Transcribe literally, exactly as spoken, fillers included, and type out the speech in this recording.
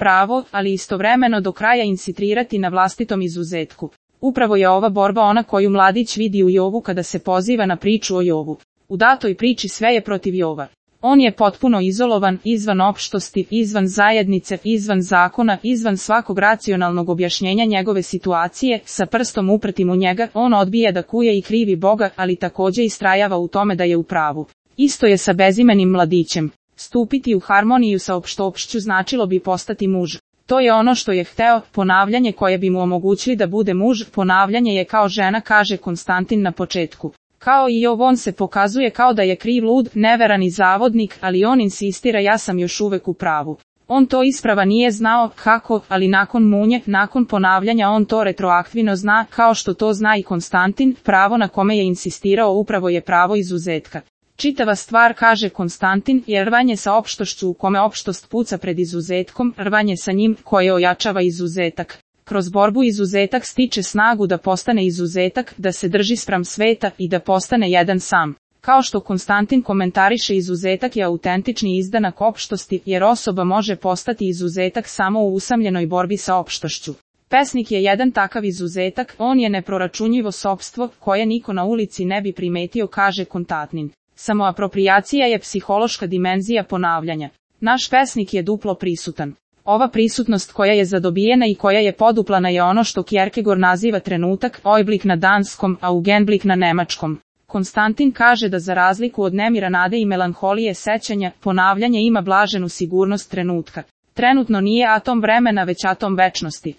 pravo, ali istovremeno do kraja insistirati na vlastitom izuzetku. Upravo je ova borba ona koju mladić vidi u Jovu kada se poziva na priču o Jovu. U datoj priči sve je protiv Jova. On je potpuno izolovan, izvan opštosti, izvan zajednice, izvan zakona, izvan svakog racionalnog objašnjenja njegove situacije, sa prstom upretim u njega, on odbija da kuje i krivi Boga, ali takođe istrajava u tome da je u pravu. Isto je sa bezimenim mladićem. Stupiti u harmoniju sa opštoopšću značilo bi postati muž. To je ono što je hteo, ponavljanje koje bi mu omogućili da bude muž, ponavljanje je kao žena, kaže Konstantin na početku. Kao i Jov, on se pokazuje kao da je kriv, lud, neveran i zavodnik, ali on insistira ja sam još uvek u pravu. On to isprava nije znao kako, ali nakon munje, nakon ponavljanja on to retroaktivno zna, kao što to zna i Konstantin, pravo na kome je insistirao upravo je pravo izuzetka. Čitava stvar, kaže Konstantin, je rvanje sa opštošću u kome opštost puca pred izuzetkom, rvanje sa njim koje ojačava izuzetak. Kroz borbu izuzetak stiče snagu da postane izuzetak, da se drži spram sveta i da postane jedan sam. Kao što Konstantin komentariše, izuzetak je autentični izdanak opštosti, jer osoba može postati izuzetak samo u usamljenoj borbi sa opštošću. Pesnik je jedan takav izuzetak, on je neproračunljivo sopstvo, koje niko na ulici ne bi primetio, kaže Konstantin. Samoaproprijacija je psihološka dimenzija ponavljanja. Naš pesnik je duplo prisutan. Ova prisutnost koja je zadobijena i koja je poduplana je ono što Kierkegaard naziva trenutak, Augenblick na danskom, a Augenblick na nemačkom. Konstantin kaže da za razliku od nemira, nade i melanholije sećanja, ponavljanje ima blaženu sigurnost trenutka. Trenutno nije atom vremena već atom večnosti.